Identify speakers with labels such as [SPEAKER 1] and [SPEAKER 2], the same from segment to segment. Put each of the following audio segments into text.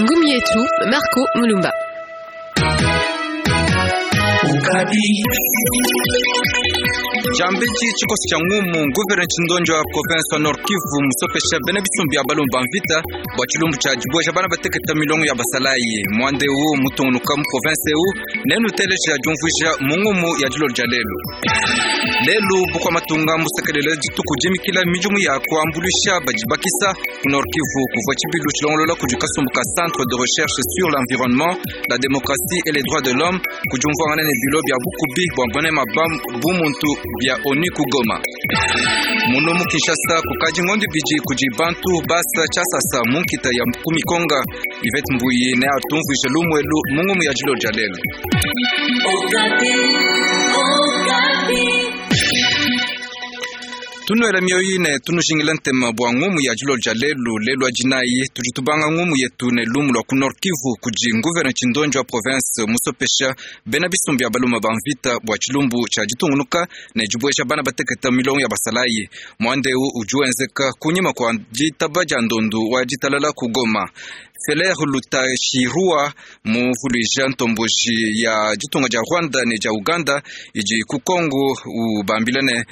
[SPEAKER 1] Ngumu yetu Marco Mulumba.
[SPEAKER 2] Jambiji tshikoso tshia ngumu gouverneur Tshindonjo wa province wa Nord Kivu musopesha bena bisumbu bia balomba ba mvita bua tshilumbu tshia dibueja bana bateketa milongo ya basalayi muanda eu mutungunuka mu province eu nenuteleja diumvuija mu ngumu ya dilolo dia lelu. Lelu bukua matunga mbusekelele dituku dimikila midimu ya kuambuluisha badi bakisa ku Nord Kivu kuvua tshibilu tshilongolola kudi kasumbu ka Centre de recherche sur l'environnement, la démocratie et les droits de l'homme ku diumvuangana ne bilo bia bukubi bua bunema ba bumuntu bia ONU ku Goma. Muno mu Kinshasa kukadi ngondo ibidi kudi bantu basa tshiasasa mu nkita ya ku mikonga. Yvette Mbuyi ne atumvuija lumu elu mu ngumu ya dilolo dia lelu. Tunuela mioyo ne tunujingila ntema bua ngumu ya dilolo dia lelu. Lelu wa dinayi tudi tubanga ngumu yetu ne lumu lua ku Nord Kivu kudi gouverneur Tshindonjo wa province musopesha bena bisumbu bia baluma ba mvita bua tshilumbu tshia ditungunuka ne dibueja bana bateketa milongo ya basalayi. Muanda eu udi wenzeka kunyima kua ditaba dia ndondu wa ditalala ku Goma. Feller Lutashirua muvuluija ntomboji ya ditunga dia Rwanda ne dia Uganda idi ku Congo ubambila ne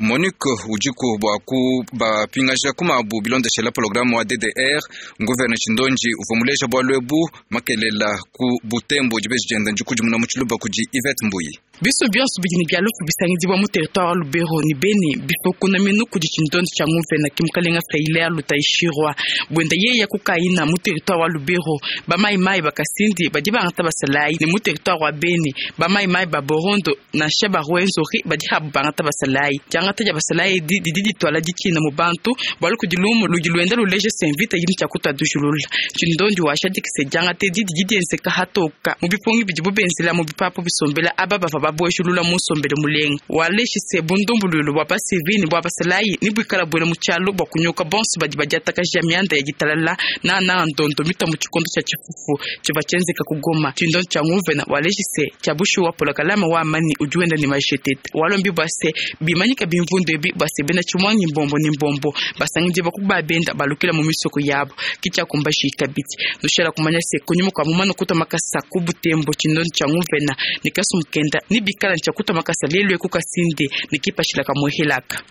[SPEAKER 2] MONUC udiku bua kubapingaja ku mabu bilondeshela programme wa DDR. Gouverneur Tshindonji uvua muleja bualu ebu makelela ku Butembo dibeji dienda ndikudimuna mu tshiluba kudi Yvette Mbuyi.
[SPEAKER 3] Biso bionso bidi ne bia lufu bisangidibua mu territoire wa Lubero ne Beni bifokona minu kudi tshindondi tshia nguvena ke mukalenga Freiler Lutayishirwa buenda yeya kukaina mu territoire wa Lubero ba mai mai ba Kasindi badi bangata basalayi ne mu territoire wa Beni ba mai mai ba Borondo nansha ba Rwenzori badi habu bangata basalayi. Diangata dia basalayi edi didi dituala ditshina mu bantu bualu kudi lumu ludi luenda luleja se mvita yini tshia kutua dujulula. Tshindondi washadikise diangata edi didi dienzeka hatoka mu bipungi bidibu benzela mu bipapu bisombela aba bavua babuejulula mu nsombelu mulenga. Waleshise bundumbululu bua basivili ne bua basalayi ne buikala buela mu tshialu bua kunyoka bonso badi badiatakaja mianda ya ditalala nananga ndondo mita mu tshikondo tshia tshifufu tshivua tshienzeka ku Goma. Tshindondi tshia nguvena waleshise tshia bushuwa polokalama wa amani udi wenda ne majetete. Walombi bua se bimanyika bimvundu ebi bua se bena tshimuangi mbombo ne mbombo basangidibua ku babenda balukila mu misoko yabo ke tshiakumbaji kabidi. Nushala kumanya se kunyima kua mumana kutua makasa ku Butembo tshindondi tshia nguvena ne kasumukenda ne bikala ntshia kutua makasa lelu eku Kasindi ne kipatshila ka muehelaka.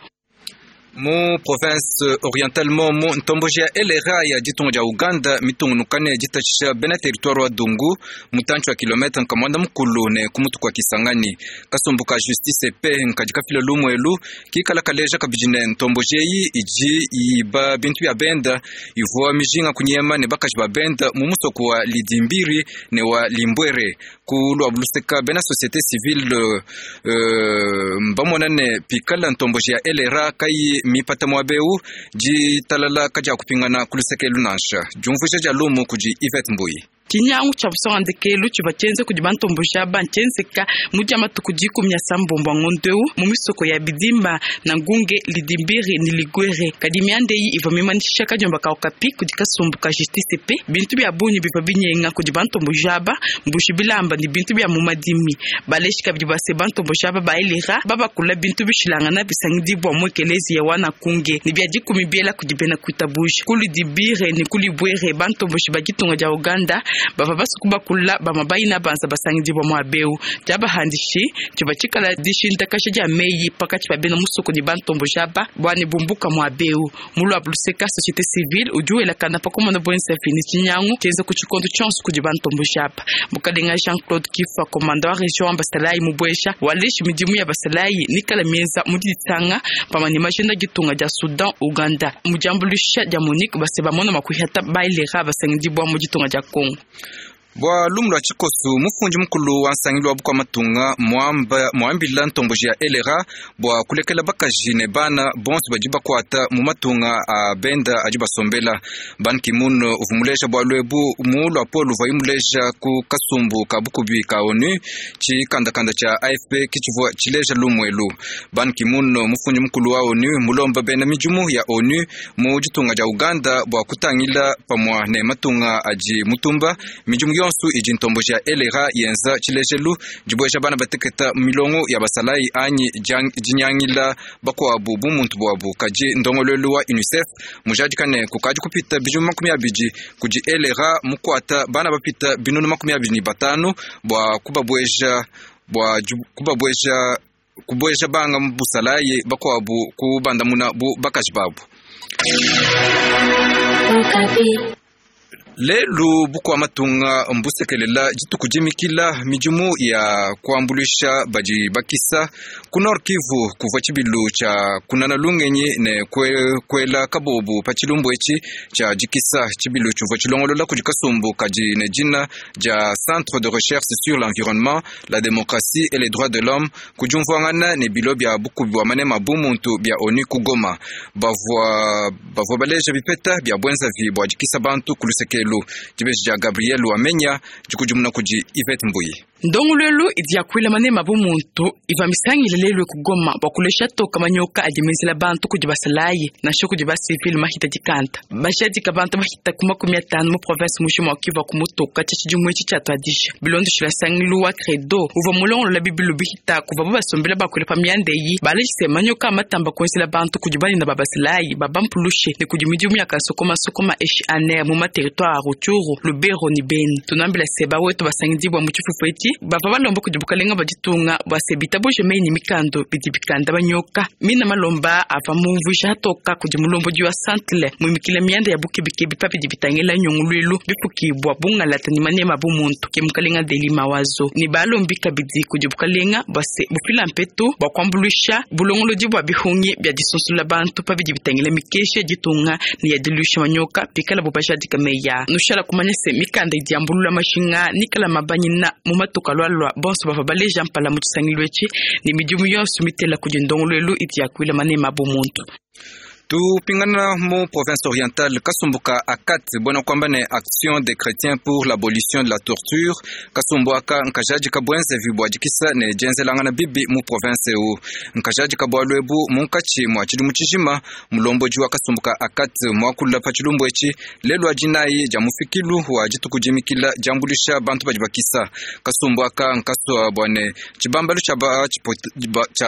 [SPEAKER 2] Mu province orientale momu ntomboji ya LRA ya ditunga dia Uganda mitungunuka ne ditatshisha bena territoire wa Dungu mutantshi wa kilometre nkamuanda mukulu ne ku mutu kua Kisangani. Kasumbu ka justice pe nkadi kafila lumu elu kikala kaleja kabidi ne ntomboji eyi idi iba bintu bia benda ivua mijinga kunyema ne bakaji ba benda mu musoko wa Lidimbiri ne wa Limbwere. Ku lua luseka bena société civile mbamona ne pikala ntomboji ya LRA kayi mipata muaba eu ditalala kadia kupingana ku luseke elu nansha. Diumvuija dia lumu kudi Yvette Mbuyi.
[SPEAKER 3] Tshinyangu tshia busonga ndekelu tshivua tshienze kudi bantomboji aba ntshienzeka mu dia matuku dikumi a sambombo a ngondo eu mu misoko ya Bidimba na Ngunge, Lidimbiri ne Ligwere. Kadi mianda eyi ivua mimanyisha kadiomba ka Okapi kudi kasumbu ka justice pe bintu bia bungi bivua binyenga kudi bantomboji aba, mbuji bilamba ne bintu bia mu madimi. Baleji kabidi bua se bantomboji aba ba Elira babakula bintu bishilangana bisangidibua mu ekeleziya wa Nakunge ne bia dikumi biela kudi bena kuitabuja. Ku Lidibire ne ku Libwere bantomboji ba ditunga dia Uganda bavua basuku bakula bamue bayina banza basangidibua muaba eu. Diabahandishi tshivua tshikala dishintakaja dia meyi pakatshi pa bena musoko ne bantomboji aba bua ne bumbuka muaba eu. Mu luabu luseka, société civile udi welakana pa kumona buenzavi ne tshinyangu tshienza ku tshikondo tshionso kudi bantomboji aba. Mukalenga Jean-Claude Kifa, komanda wa region wa basalayi mubueja, waleji midimu ya basalayi nikala mienza mu diditsanga pamue ne majenda ditunga dia Soudan, Uganda. Mu diambuluisha dia MONUC base bamona mua kuihata bailera basangidibua mu ditunga dia Congo.
[SPEAKER 2] Bua lumu lua tshikosu, mufundi mukulu wa nsangilu wa bukua matunga muamba, muambila ntomboji ya LRA bua kulekela bakaji ne bana bonso badi bakuata mu matunga a benda adi basombela. Ban Ki-moon uvua muleja bualu ebu mu luapolo luvuaye muleja ku kasumbu ka bukubi ka ONU, tshikandakanda tshia AFP kitshivua tshileja lumu elu. Ban Ki-moon mufundi mukulu wa ONU mulomba bena midimu ya ONU mu ditunga dia Uganda bua kutangila pamua ne matunga adi mutumba midimu yonsu idi ntomboji ya LRA yenza tshilejelu dibueja bana bateketa mu milongo ya basalayi anyi dinyangila bakuabu bumuntu buabu. Kadi ndongoluelu wa UNICEF mujadika ne kukadi kupita bidimu 20 kudi LRA mukuata bana bapita binunu 25 bua kubabueja bua kubabueja kubueja banga mu busalayi bakuabu kubandamuna bu bakaji babu. Lelu bukua matunga mbusekelela dituku dimikila midimu ya kuambuluisha badi bakisa ku Nord Kivu kuvua tshibilu tshia kunana lungenyi ne kuela kabobu pa tshilumbu etshi tshia dikisa. Tshibilu tshivua tshilongolola kudi kasumbu kadi ne dina dia Centre de recherche sur l'environnement, la démocratie et les droits de l'homme ku diumvuangana ne bilo bia bukubi bua manema bumuntu bia ONU ku Goma. Bavua bavua baleja bipeta bia buenzavi bua dikisa bantu ku lusekelu. Dibeji dia Gabriel Wamenya dikudimuna kudi Yvette Mbuyi.
[SPEAKER 3] Ndongoluelu idi yakuila manema bumuntu iva misangile lelu ku Goma bua kulesha toka manyoka adi menzela bantu kudi basalayi nansha kudi basivile mahita dikanta bashadika bantu bahita ku 50 mu province mujima wa Kivu ku mutoka tshia tshidimu etshi tshiatuadija bilondeshila sangilu wa credo uvua mulongolola bibilu bihita kuva bo basombela bakuila pa mianda eyi balejise manyoka amatamba kuenzela bantu kudi banene ba basalayi babampulushe ne kudi midimu ya kasokomasokoma eshi aner mu materitoire a Rutshuru, Lubero ne Beni. Tunambila se bawetu basangidibwa mu tshifufu etshi bava balomba kudi bukalenga bua ditunga bua se bitabuje meyi ne mikando bidi bikanda banyoka. Mina malomba ava mumvuija atoka kudi mulombodi wa santle muimikila mianda ya bukebikebi pa bidi bitangila nyunguluilu bifukibwa bungalata ne manema bumuntu ke mukalenga Deli Mawazo ne balombi kabidi kudi bukalenga bua se bufila mpetu bua kuambuluisha bulongolodi bua bihungi bia disunsula bantu pa bidi bitangila mikeshi ya ditunga ne ya diluisha manyoka pikala bo bajadika meya. Nushala kumanya se mikanda idi yambulula mashinga nikala mabanyina mu matuka lwalwa bonso bava baleja mpala mu tshisangilu etshi ne midimu yonso mitela kudi ndongoluelu idi yakuila manema bumuntu.
[SPEAKER 2] Tupingana mu province orientale kasumbu ka ACAT buena kuamba ne Action des chrétiens pour l'abolition de la torture. Kasumbu aka nkajadi ka buenzevi bua dikisa ne dienzelangana bibi mu province eu. Nkajadi ka bualu ebu munkatshi mua tshidimu tshijima. Mulombodi wa kasumbu ka ACAT muakula pa tshilumbu etshi lelu wa dinayi dia mufikilu wa dituku dimikila diambuluisha bantu badi bakisa. Kasumbu aka nkasua bua ne tshibambalu tshia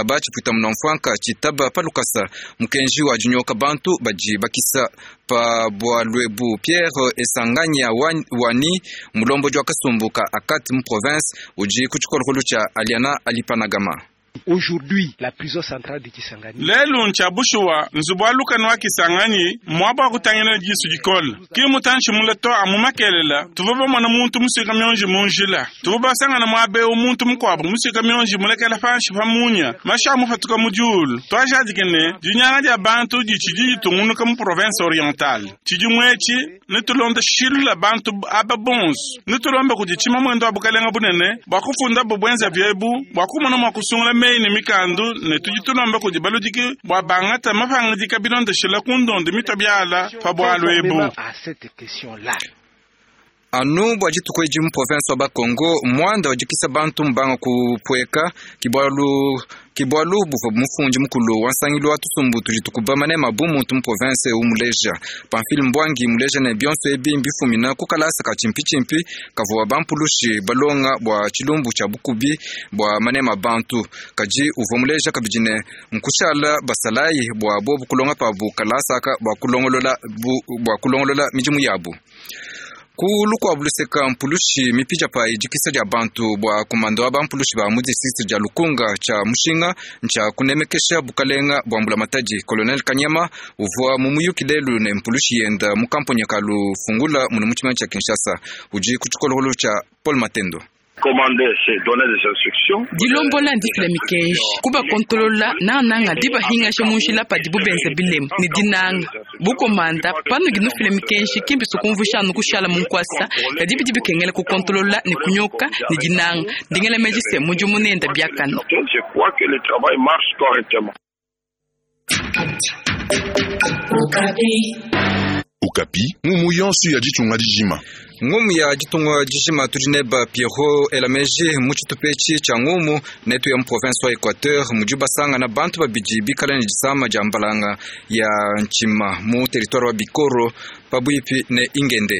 [SPEAKER 2] ba tshipuita munamfuanka tshitaba pa lukasa mukenji wa dinyoka bantu badi bakisa pa bualu ebu. Pierre Esanganya wani mulombodi wa kasumbu ka ACAT mu province udi ku tshikolokolo tshia Aliana Alipanagama.
[SPEAKER 4] Aujourd'hui, la prison centrale de Kisangani.
[SPEAKER 5] Lelu ntshabushuwa nzubu wa lukanu wa Kisangani mwaba wa kutangila disu dikole ki mutanshi mule to amu makelela tuva bamona muntu musika mionji munjila tuva basangana mwabeu muntu mukuabu musika mionji mulekela panshi pa munya masha mufatuka mu diulu twajadike ne dinyanga dia bantu ditshidi ditungunuka mu province orientale tshidimu etshi nitulonda shilula bantu aba bonso nitulomba kudi tshima mwendo wa bukalenga bunene bua kufunda bubwenza biebu bua kumona mua kusungula meyi ne mikandu ne tudi tulomba kudi baludiki bua bangata mapangidika bilondeshela ku ndondo mitwa biala pa bualu ebu.
[SPEAKER 4] À cette question-là.
[SPEAKER 2] Anu bua dituku edi mu province wa Bakongo muanda wa dikisa bantu mbanga kupueka kibualu kibualu buvua mufundi mukulu wa nsangilu wa tusumbu tudi tukuba manema bumuntu mu province eu muleja. Pamphile Mbwangi muleja ne bionso ebi mbifumina ku kalasa ka tshimpitshimpi kavua bampulushi balonga bua tshilumbu tshia bukubi bua manema bantu. Kadi uvua muleja kabidi ne nkushala basalayi bua bobu kulonga pabu kalasa aka bua kulongolola bua kulongolola midimu yabu. Ku lukuabu luseka mpulushi mipija pa idikisa dia bantu bua kumando wa bampulushi ba mu district dia Lukunga tshia Mushinga ntshia kunemekesha bukalenga bua mbulamatadi. Colonel Kanyama uvua mu muyuki lelu ne mpulushi yenda mu kamponya ka Lufungula munu mu tshimana tshia Kinshasa udi ku tshikolokolo tshia Paul Matendo.
[SPEAKER 3] Dilombola ndifila mikeji kubakontolola nananga dibahingasha munjila padibu benza bilema ne dinanga bukomanda panu ginufila mikenji kimbi sukumvusha anu kushala munkwasa kadi bidi bikengela kukontolola ne kunyoka ne dinanga ndingela meji se mudimu nenda biakana.
[SPEAKER 6] Je crois que le travail marche correctement.
[SPEAKER 7] Okapi, ngumu yonso ya ditunga dijima.
[SPEAKER 2] Ngumu ya ditunga dijima tudi neba Pierrot Elameji mu tshitupa etshi tshia ngumu netu ya mu province wa Equateur mudi basangana bantu babidi bikala ne disama dia mbalanga ya ntshima mu territoire wa Bikoro pabuipi ne Ingende.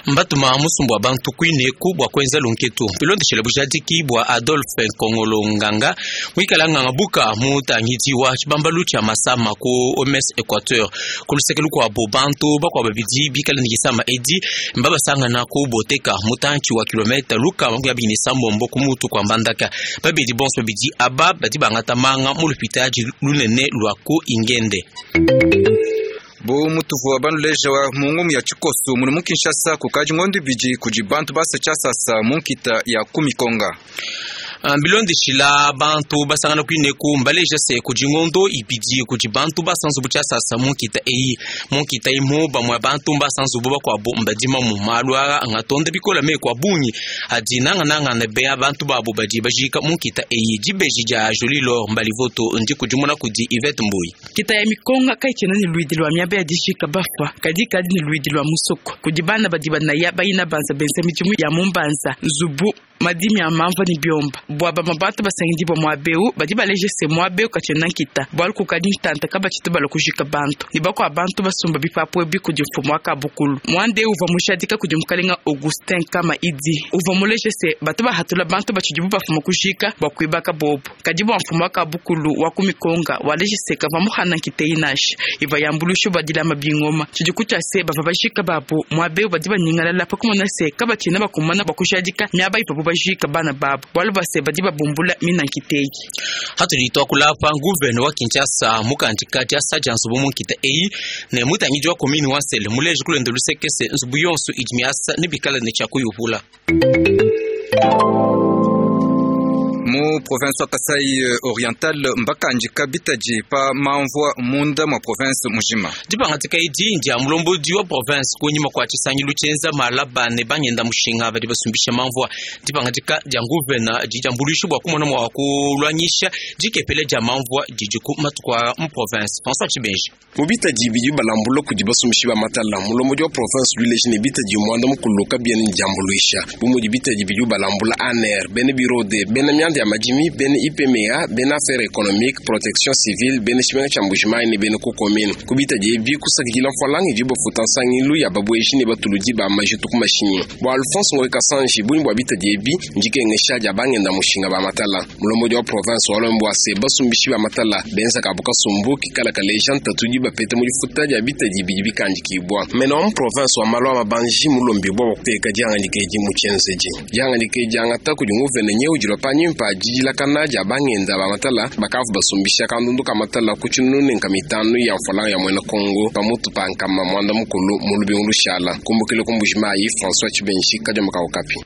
[SPEAKER 8] Mbatuma musumbu wa bantu kuineku bua kuenza lunketu bilondeshele bujadiki bua Adolphe Nkongolo Nganga, muikala nganga buka mutangidi wa tshibambalu tshia masama ku OMS Equateur. Ku luseke lukuabu, bantu bakuabu babidi bikale ne disama edi mbabasangana ku Boteka, mutantshi wa kilometa 230 ku mutu kua Mbandaka. Babedi bonso babidi aba badi bangata manga mu lupitadi lunene lua ku Ingende.
[SPEAKER 2] Bu mutuvua banuleja mu ngumu ya tshikoso munu mu Kinshasa kukadi ngondo ibidi kudi bantu basa tshiasasa mu nkita ya ku Mikonga.
[SPEAKER 8] Bilondeshila bantu basangana kuineku mbaleja se kudi ngondo ibidi kudi bantu basa nzubu tshiasasa mu nkita eyi. Mu nkita imu bamue bantu mbasa nzubu, bakuabu mbadima mu malu aa ngatonda bikola meku a bungi adi nangananga ne bea bantu babu badi bajika mu nkita eyi. Dibeji dia Jolie Lor Mbalivoto ndikudimuna kudi Yvette Mbuyi.
[SPEAKER 3] Nkita ya Mikonga kayitshiena ne luidi lua miaba ya dijika bafua, kadi ikadi ne luidi lua musoko kudi bana badi banaya bayina banza benza midimu ya mu mbanza, nzubu, madimi a mamvua ne biomba. Bua bamue bantu basangidibua muaba eu, badi baleja se, muaba eu katshiena nkita, bualu kukadi ntanta kabatshitu balua kujika bantu, ne bakua bantu basumba bipapu ebi kudi mfumu wa kabukulu. Muanda eu uvua mujadika kudi mukalenga Augustin Kama Idi, uvua muleje se, batu bahatula bantu batshidibu bafuma kujika bua kuibaka bobu. Kadi bua mfumu wa kabukulu wa ku Mikonga, waleji se kavua muhana nkita eyi nansha, ivua yambuluisha bua dilama bingoma. Tshidi kutshia se, bavua bajika babu muaba eu badi banyingalala pa kumona se kabatshiena bakumana bua kujadika miaba ivuabu bajika bana babu, bualu bua se badi babumbula mina nkita eyi.
[SPEAKER 8] Hatudi tuakula apa, nguvene wa Kinshasa mukandika diasa dia nzubu mu nkita eyi ne mutangidi wa commune wa Nsele muleje kulenda luseke se nzubu yonso idi miasa ne bikala ne tshia kuyupula.
[SPEAKER 2] Mu province wa Kasai Oriental mbakandika bitadi pa mamvua munda mua province mujima.
[SPEAKER 8] Dipangadika edi ndia mulombodi wa province kunyima kua tshisangilu tshienza malaba ne bangenda mushinga badi basumbisha mamvua. Dipangadika dia nguvena didi diambuluisha bua kumona mua kuluanyisha dikepele dia mamvua didi ku matuku a mu province. François Tshibenji.
[SPEAKER 9] Mu bitadi bidi balambula kudi basumbishi ba matala, mulombodi wa province udi ne bitadi muanda mukulu kabiena ne diambuluisha. Bu mudi bitadi bidi balambula ANR, bena bureau de bena mianda ya madimi, bena IPMA, bena affaires économiques, protection civile, bena tshimenga tshia Mbujimayi ne bena ku commune. Ku bitadi ebi kusakidila mfualanga idi bafuta nsangilu ya babueji ne batuludi ba majitu ku mashinyi. Bua Alphonse Ngoyi Kasanji, bungi bua bitadi ebi ndikengesha dia bangenda mushinga ba matala. Mulombodi wa province walombi bua se basumbishi ba matala benza kabu kasumbu kikala kaleja ntatu di bapeta mu difuta dia bitadi bidi bikandikibua. Mena wa mu province wa malu a mabanji mulombi bua kuteka dihangadika edi mu tshienzedi. Dihangadika edi diangata kudi nguvene nyeu dilua panyima pa didilakana dia bangenda ba matala bakavu basumbisha kandundu ka matala ku tshinunu ne nkama itanu ya mfualanga ya muena Kongo pamutu pa nkama muanda mukulu mu lubingu lushala. Kumbukile ku Mbujimayi, François Tshibenji, Kadioma ka Okapi.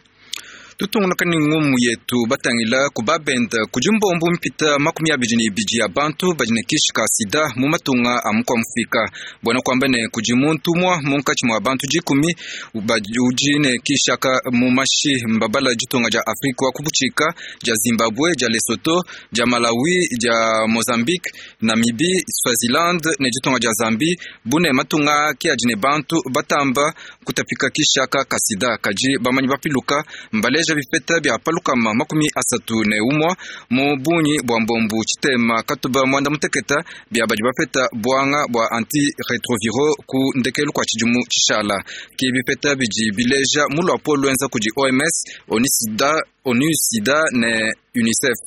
[SPEAKER 2] Tutungunuka ne ngumu yetu batangila ku babenda kudi mbombu mpita 22 ya bantu badi ne kishi ka sida mu matunga a mukua mufika. Buena kuamba ne kudi muntu umua munkatshi mua bantu 10 udi ne kishi aka mu mashi. Mbabala ditunga dia Afrika wa kubutshika, dia Zimbabwe, dia Lesotho, dia Malawi, dia Mozambique, Namibie, Swaziland ne ditunga dia Zambie. Bune matunga ki adi ne bantu batamba kutapika kishi aka ka sida. Kadi bamanyi bapiluka mbaleja bipeta bia palukama 31 mu bungi bua mbombu tshitema katuba muanda muteketa bia badi bapeta buanga bua antiretroviro ku ndekelu kua tshidimu tshishala. Ki bipeta bidi bileja mu luapolo luenza kudi OMS, ONU Sida ne UNICEF.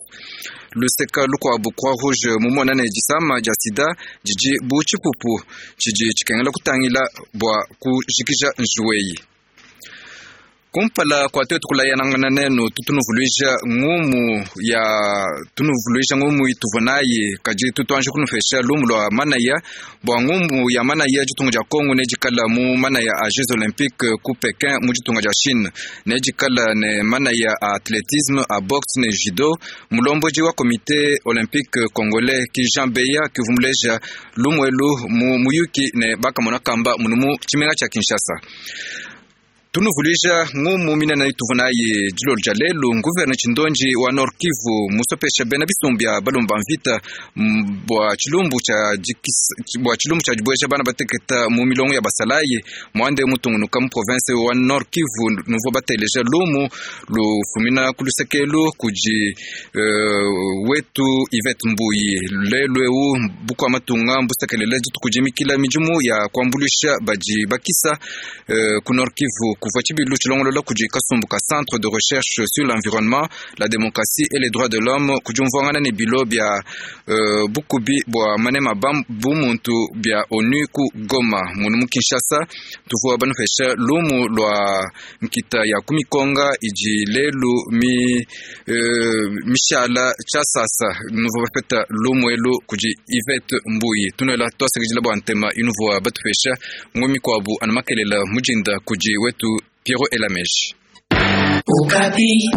[SPEAKER 2] Luseka lukuabu Croix Rouge mumona ne disama dia sida didi bu tshipupu tshidi tshikengela kutangila bua kujikija njuweyi. Kumpala kua tuetu kulayanangana nenu tutunuvuluija ngumu ya tunuvuluija ngumu ituvua nayi, kadi tutuanji kunupesha lumu lua manaya. Bua ngumu ya manaya ditunga dia Kongo nedikala mu manaya a Jeux Olympiques ku Pekin mu ditunga dia Chine, nedikala ne manaya a athlétisme, a boxe ne judo. Mulombodi wa comité olympique congolais ki Jean Beya kivumuleja lumu elu mu muyuki ne bakamona kamba munu mu tshimenga tshia Kinshasa. Tunuvuluija ngumu minene ituvua nayi dilolo dia lelu. Nguverne Tshindonji wa Nord Kivu musopesha bena bisumbu bia balomba mvita bua tshilumbu tshia bua tshilumbu tshia dibueja bana bateketa mu milongo ya basalayi muande mutungunuka mu province wa Nord Kivu. Nuvua bateleja lumu lufumina ku lusekelu kudi wetu Yvette Mbuyi. Lelu eu bukua matunga mbusekelele dituku dimikila midimu ya kuambuluisha badi bakisa ku Nord Kivu. Kuvua tshibilu tshilongolola kudi kasumbu ka Centre de recherche sur l'environnement, la démocratie et les droits de l'homme ku diumvuangana ne bilo bia bukubi bua manema ba bumuntu bia ONU ku Goma. Munu mu Kinshasa tuvua banupesha lumu lua nkita ya ku mikonga idi lelu mi mishala tshiasasa. Nuvua bapeta lumu elu kudi Yvette Mbuyi. Tunuela tuasakidila bua ntema inuvua batupesha ngombe mikuabu anu makelela mujinda kudi wetu Piero Elameji.
[SPEAKER 1] Okapi.